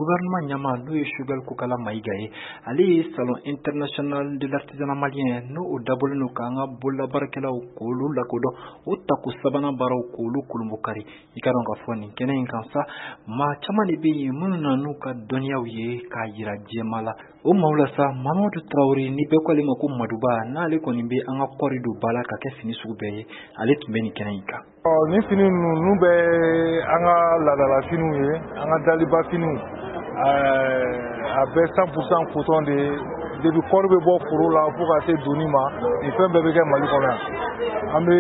Gouvernement ɲɛmaa, n'o ye Choguel Kokalla Maïga ye, ale ye Salon international de l'artisanat malien, n'o o dabɔlen don k'an ka bololabaarakɛlaw k'olu lakodɔn, o tako sabanan baaraw k'olu kolonbokari. I ka dɔn k'a fɔ nin kɛnɛ in kan sa, maa caman de bɛ yen minnu na n'u ka dɔnniyaw ye k'a yira jɛma la. O maaw la sa, Mamadu Tarawele, ni bɛɛ ko ale ma ko Maduba, n'ale kɔni bɛ an ka kɔɔri don ba la ka kɛ fini sugu bɛɛ ye, ale tun bɛ nin kɛnɛ in kan. Ɔ, nin fini ninnu bɛ an ka laadala finiw ye, an ka daliba finiw. A bɛɛ 100% coton de ye. Depuis kɔɔri bɛ bɔ foro la fo ka se donni ma, nin fɛn bɛɛ bɛ kɛ Mali kɔnɔ yan. An bɛ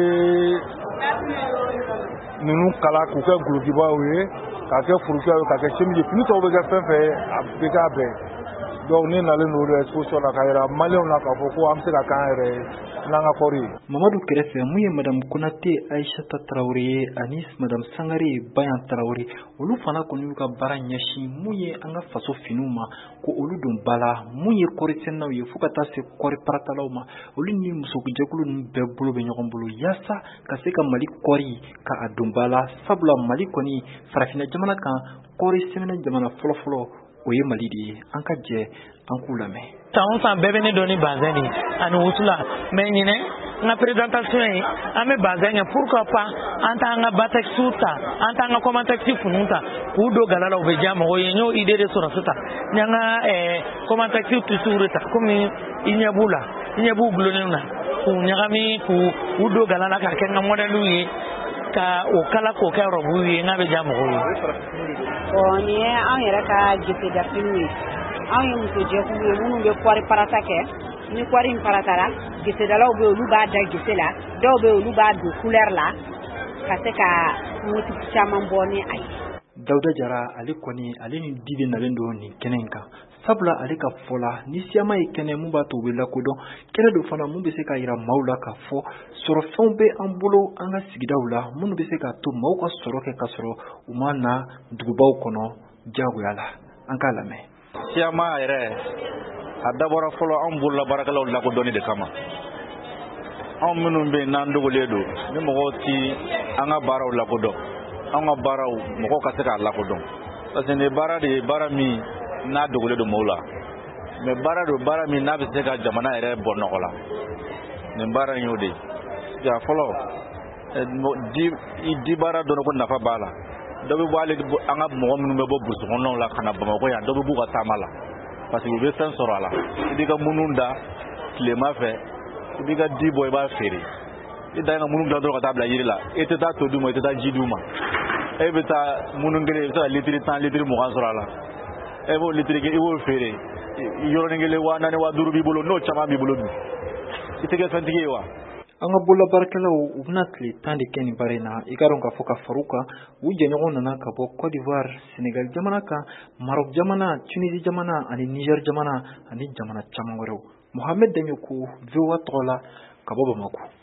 ninnu kala k'u kɛ gulokibaw ye, k'a kɛ furukiyaw ye, k'a kɛ chemise ye. Fini tɔw bɛ kɛ fɛn fɛn ye, a bɛ k'a bɛɛ ye. Donc ne nalen don exposition na k'a yira maliyɛnw na k'a fɔ ko an bɛ se ka k'an yɛrɛ ye n'an ka kɔɔri ye. Mamadu kɛrɛfɛ, mun ye Madame Konate Aïchata Tarawele ye ani Madame Sangare Bayan Tarawele, olu fana kɔni y'u ka baara ɲɛsin mun ye an ka faso finiw ma, ko olu don ba la, mun ye kɔɔri sɛnɛnaw ye fo ka taa se kɔɔri paratalaw ma. Olu ni musojɛkulu ninnu bɛɛ bolo bɛ ɲɔgɔn bolo yaasa ka se ka Mali kɔɔri ka a don ba la, sabula Mali kɔni farafinna jamana kan, kɔɔri sɛnɛ jamana fɔlɔfɔlɔ o ye Mali de ye. An ka jɛ an k'u lamɛn. San o san, bɛɛ bɛ ne dɔn ni bazɛn de ye ani wusula. Mais ɲinɛ, n ka présentation ye, an bɛ bazɛn kɛ. Pourquoi pas an t'an ka Batex ta, an t'an ka Comatex finiw ta k'u don gala la? U bɛ diya mɔgɔw ye. N y'o idée de sɔrɔ sisan. N y'an ka Comatex tissuw de ta, komi i ɲɛ b'u la, i ɲɛ b'u gulonnen na, k'u ɲagami k'u don gala la k'a kɛ n ka modèle ye, ka o kala k'o kɛ robe ye. N k'a bɛ diya mɔgɔw ye. Bon, nin ye anw yɛrɛ ka gesedafiniw ye. Anw ye musojɛkulu ye minnu bɛ kɔɔri parata kɛ. Ni kɔɔri in paratara, gesedalaw bɛ yen, olu b'a da gese la. Dɔw bɛ yen, olu b'a don couleur la ka se ka motif caman bɔ ni a ye. Dawuda Jara, ale kɔni, ale ni di de nalen don nin kɛnɛ in kan, sabula ale ka fɔ la, ni siyama ye kɛnɛ mun b'a to u bɛ lakodɔn, kɛnɛ dɔ fana mun bɛ se ka yira maaw la k'a fɔ sɔrɔfɛnw bɛ an bolo an ka sigidaw la, minnu bɛ se k'a to maaw ka sɔrɔ kɛ ka sɔrɔ u ma na dugubaw kɔnɔ diyagoya la. An k'a lamɛn. Siyama yɛrɛ, a dabɔra fɔlɔ anw bololabaarakɛlaw lakodɔnni de kama. Anw minnu bɛ yen n'an dogolen don, ni mɔgɔw ti an ka baaraw lakodɔn, an ka baaraw mɔgɔw ka se k'a lakodɔn, parce que nin baara de ye baara min n'a dogolen don mɔgɔw la, mais baara don, baara min n'a bɛ se ka jamana yɛrɛ bɔ nɔgɔ la. Nin baara in y'o de ye. Ja fɔlɔ di di baara dɔrɔn ko nafa b'a la. Dɔ bɛ bɔ, hali an ka mɔgɔ minnu bɛ bɔ burusi kɔnɔnaw la ka na Bamakɔ yan, dɔ bɛ b'u ka taama la, parce que u bɛ fɛn sɔrɔ a la. I b'i ka munu da tilema fɛ, i b'i ka di bɔ, i b'a feere. I dan ye ka munu dilan dɔrɔn ka taa bila yiri la. E tɛ taa to d'u ma, i tɛ taa ji d'u ma. E bɛ taa munu kelen, i bɛ se ka litiri 10, litiri 20 sɔrɔ a la. E b'o litiri kɛ, i b'o feere yɔrɔnin kelen, 4000, 5000 b'i bolo. N'o caman b'i bolo dun, i tɛ kɛ fɛntigi ye wa? An ka bololabaarakɛlaw, u bɛna tile 10 de kɛ nin baara in na. I ka dɔn k'a fɔ ka far'u kan, u jɛɲɔgɔn nana ka bɔ Côte d'Ivoire, Sénégal jamana kan, Maroc jamana, Tunisie jamana ani Niger jamana ani jamana caman wɛrɛw. Mohamed Dagnoko, VOA tɔgɔ la ka bɔ Bamakɔ.